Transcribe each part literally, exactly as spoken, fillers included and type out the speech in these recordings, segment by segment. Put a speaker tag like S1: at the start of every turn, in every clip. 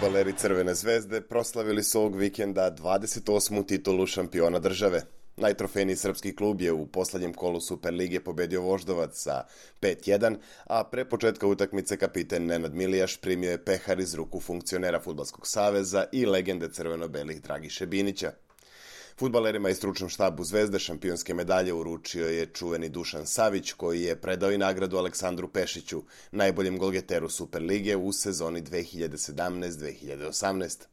S1: Fudbaleri Crvene zvezde proslavili su ovog vikenda dvadeset osmu titulu šampiona države. Najtrofejniji srpski klub je u poslednjem kolu Superlige pobedio Voždovac sa pet jedan, a pre početka utakmice kapiten Nenad Milijaš primio je pehar iz ruku funkcionera Fudbalskog saveza i legende crveno-belih Dragiše Binića. Fudbalerima i stručnom štabu Zvezde šampionske medalje uručio je čuveni Dušan Savić, koji je predao i nagradu Aleksandru Pešiću, najboljem golgeteru Superlige u sezoni dve hiljade sedamnaeste dve hiljade osamnaeste.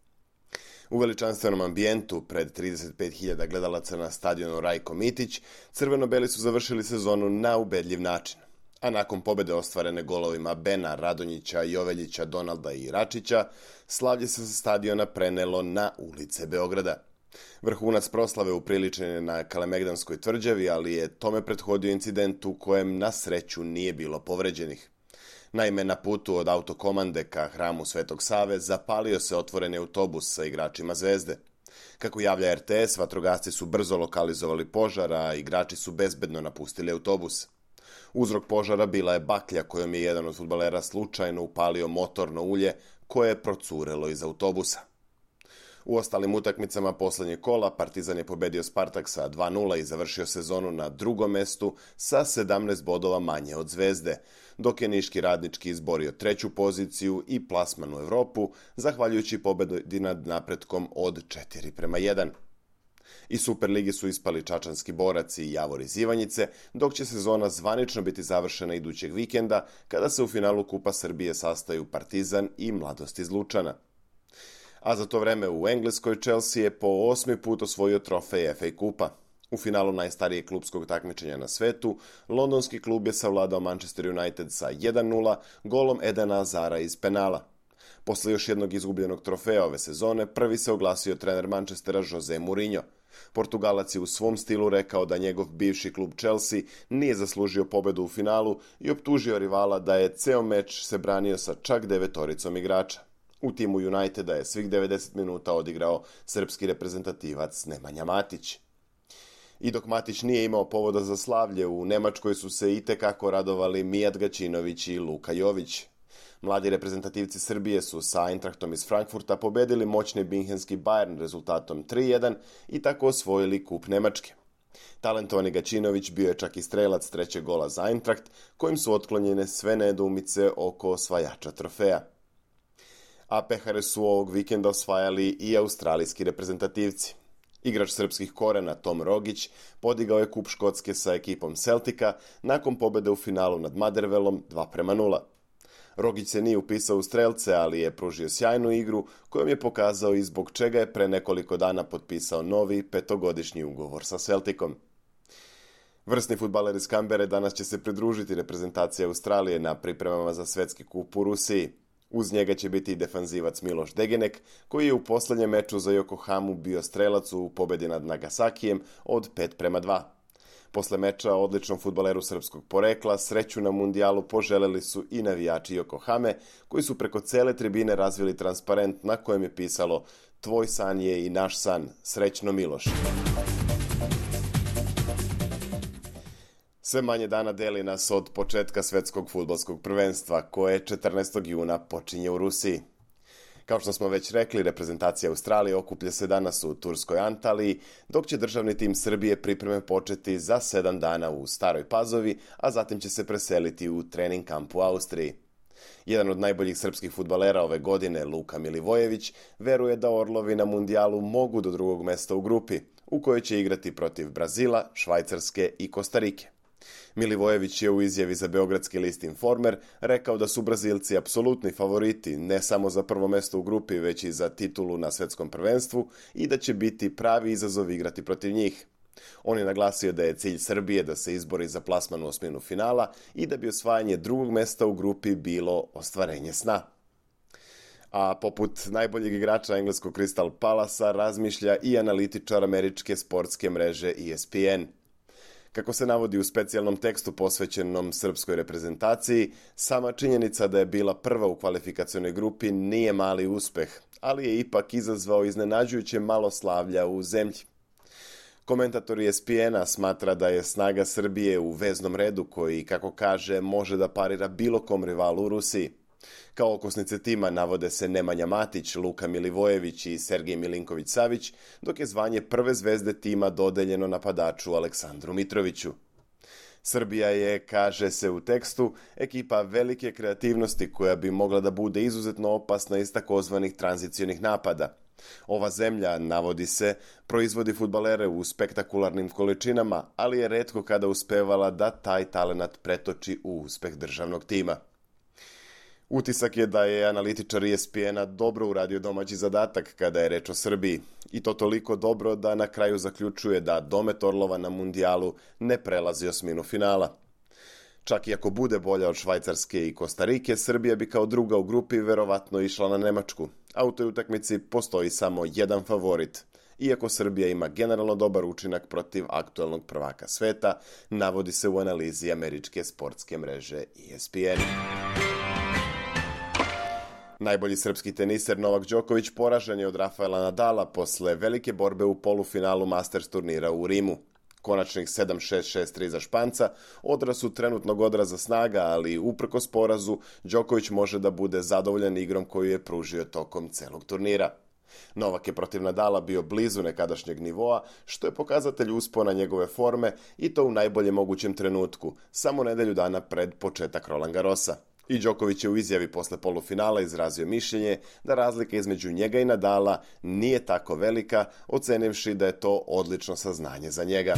S1: U veličanstvenom ambijentu, pred trideset pet hiljada gledalaca na stadionu Rajko Mitić, crveno-beli su završili sezonu na ubedljiv način. A nakon pobede ostvarene golovima Bena, Radonjića, Joveljića, Donalda i Račića, slavlje se sa stadiona prenelo na ulice Beograda. Vrhunac proslave upriličen je na Kalemegdanskoj tvrđavi, ali je tome prethodio incident u kojem na sreću nije bilo povređenih. Naime, na putu od autokomande ka hramu Svetog Save zapalio se otvoreni autobus sa igračima Zvezde. Kako javlja er te es, vatrogasci su brzo lokalizovali požar, a igrači su bezbedno napustili autobus. Uzrok požara bila je baklja kojom je jedan od fudbalera slučajno upalio motorno ulje koje je procurelo iz autobusa. U ostalim utakmicama poslednjeg kola Partizan je pobedio Spartak sa dva nula i završio sezonu na drugom mestu sa sedamnaest bodova manje od Zvezde, dok je Niški Radnički izborio treću poziciju i plasman u Evropu, zahvaljujući pobedi nad Napretkom od četiri prema jedan. Iz Superligi su ispali Čačanski Borac i Javor iz Ivanjice, dok će sezona zvanično biti završena idućeg vikenda, kada se u finalu Kupa Srbije sastaju Partizan i Mladost iz Lučana. A za to vreme u Engleskoj Chelsea je po osmi put osvojio trofej ef a kupa. U finalu najstarijeg klubskog takmičenja na svetu, londonski klub je savladao Manchester United sa jedan nula golom Edena Hazara iz penala. Posle još jednog izgubljenog trofeja ove sezone, prvi se oglasio trener Manchestera Jose Mourinho. Portugalac je u svom stilu rekao da njegov bivši klub Chelsea nije zaslužio pobedu u finalu i optužio rivala da je ceo meč se branio sa čak devetoricom igrača. U timu Uniteda je svih devedeset minuta odigrao srpski reprezentativac Nemanja Matić. I dok Matić nije imao povoda za slavlje, u Nemačkoj su se itekako radovali Mijat Gaćinović i Luka Jović. Mladi reprezentativci Srbije su sa Eintrachtom iz Frankfurta pobedili moćni Minhenski Bayern rezultatom tri jedan i tako osvojili kup Nemačke. Talentovani Gaćinović bio je čak i strelac trećeg gola za Eintracht, kojim su otklonjene sve nedoumice oko osvajača trofeja. A pehare su ovog vikenda osvajali i australijski reprezentativci. Igrač srpskih korena Tom Rogić podigao je kup Škotske sa ekipom Celtica nakon pobede u finalu nad Motherwellom dva prema nula. Rogić se nije upisao u strelce, ali je pružio sjajnu igru kojom je pokazao i zbog čega je pre nekoliko dana potpisao novi petogodišnji ugovor sa Celticom. Vrsni fudbaler iz Kambere danas će se pridružiti reprezentaciji Australije na pripremama za svetski kup u Rusiji. Uz njega će biti i defanzivac Miloš Degenek, koji je u poslednjem meču za Yokohamu bio strelac u pobedi nad Nagasakijem od pet prema dva. Posle meča odličnom fudbaleru srpskog porekla sreću na mundijalu poželeli su i navijači Yokohame, koji su preko cele tribine razvili transparent na kojem je pisalo "Tvoj san je i naš san, srećno Miloš". Sve manje dana deli nas od početka svetskog fudbalskog prvenstva, koje četrnaestog juna počinje u Rusiji. Kao što smo već rekli, reprezentacija Australije okuplja se danas u turskoj Antaliji, dok će državni tim Srbije pripreme početi za sedam dana u Staroj Pazovi, a zatim će se preseliti u trening kamp u Austriji. Jedan od najboljih srpskih fudbalera ove godine, Luka Milivojević, veruje da Orlovi na mundijalu mogu do drugog mesta u grupi, u kojoj će igrati protiv Brazila, Švajcarske i Kostarike. Milivojević je u izjavi za beogradski list Informer rekao da su Brazilci apsolutni favoriti ne samo za prvo mesto u grupi, već i za titulu na svetskom prvenstvu i da će biti pravi izazov igrati protiv njih. On je naglasio da je cilj Srbije da se izbori za plasman u osminu finala i da bi osvajanje drugog mesta u grupi bilo ostvarenje sna. A poput najboljeg igrača engleskog Crystal Palasa razmišlja i analitičar američke sportske mreže E S P N. Kako se navodi u specijalnom tekstu posvećenom srpskoj reprezentaciji, sama činjenica da je bila prva u kvalifikacionoj grupi nije mali uspeh, ali je ipak izazvao iznenađujuće malo slavlja u zemlji. Komentator E S P N-a smatra da je snaga Srbije u veznom redu koji, kako kaže, može da parira bilo kom rivalu u Rusiji. Kao okosnice tima navode se Nemanja Matić, Luka Milivojević i Sergej Milinković-Savić, dok je zvanje prve zvezde tima dodeljeno napadaču Aleksandru Mitroviću. Srbija je, kaže se u tekstu, ekipa velike kreativnosti koja bi mogla da bude izuzetno opasna iz takozvanih tranzicionih napada. Ova zemlja, navodi se, proizvodi fudbalere u spektakularnim količinama, ali je retko kada uspevala da taj talenat pretoči u uspeh državnog tima. Utisak je da je analitičar E S P N-a dobro uradio domaći zadatak kada je reč o Srbiji, i to toliko dobro da na kraju zaključuje da domet Orlova na mundijalu ne prelazi osminu finala. Čak i ako bude bolja od Švajcarske i Kostarike, Srbija bi kao druga u grupi verovatno išla na Nemačku, a u toj utakmici postoji samo jedan favorit. Iako Srbija ima generalno dobar učinak protiv aktuelnog prvaka sveta, navodi se u analizi američke sportske mreže E S P N. Najbolji srpski teniser Novak Đoković poražen je od Rafaela Nadala posle velike borbe u polufinalu Masters turnira u Rimu. Konačnih sedam šest šest tri za Španca odraz su trenutnog odraza snaga, ali uprkos porazu Đoković može da bude zadovoljan igrom koju je pružio tokom celog turnira. Novak je protiv Nadala bio blizu nekadašnjeg nivoa, što je pokazatelj uspona njegove forme i to u najboljem mogućem trenutku, samo nedelju dana pred početak Roland Garrosa. I Đoković je u izjavi posle polufinala izrazio mišljenje da razlika između njega i Nadala nije tako velika, ocenivši da je to odlično saznanje za njega.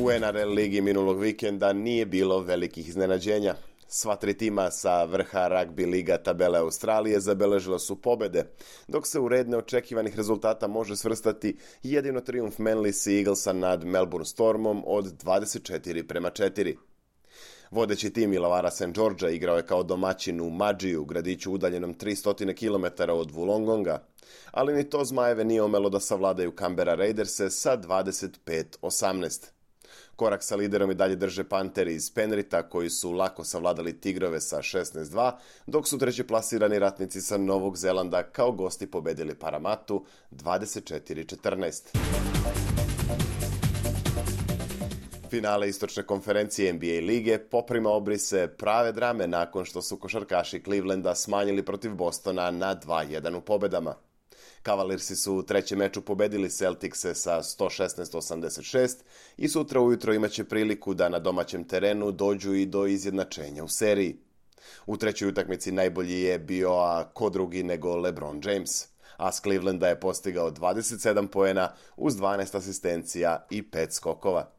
S1: U N R L ligi minulog vikenda nije bilo velikih iznenađenja. Sva tri tima sa vrha ragbi liga tabele Australije zabeležila su pobede, dok se u red neočekivanih rezultata može svrstati jedino trijumf Manly Sea Eaglesa nad Melbourne Stormom od dvadeset četiri prema četiri. Vodeći tim Illawarra Saint Georgea igrao je kao domaćin u Madžiju, gradiću udaljenom tristo kilometara od Wollongonga, ali ni to Zmajeve nije omelo da savladaju Canberra Raiderse sa dvadeset pet osamnaest. Korak sa liderom i dalje drže Panteri iz Penrita, koji su lako savladali Tigrove sa šesnaest dva, dok su treći plasirani ratnici sa Novog Zelanda kao gosti pobedili Paramatu dvadeset četiri četrnaest. Finale istočne konferencije N B A lige poprima obrise prave drame nakon što su košarkaši Clevelanda smanjili protiv Bostona na dva jedan u pobedama. Cavaliersi su u trećem meču pobedili Celticse sa sto šesnaest osamdeset šest i sutra ujutro imaće priliku da na domaćem terenu dođu i do izjednačenja u seriji. U trećoj utakmici najbolji je bio, a ko drugi nego LeBron James, a s Clevelanda je postigao dvadeset sedam poena uz dvanaest asistencija i pet skokova.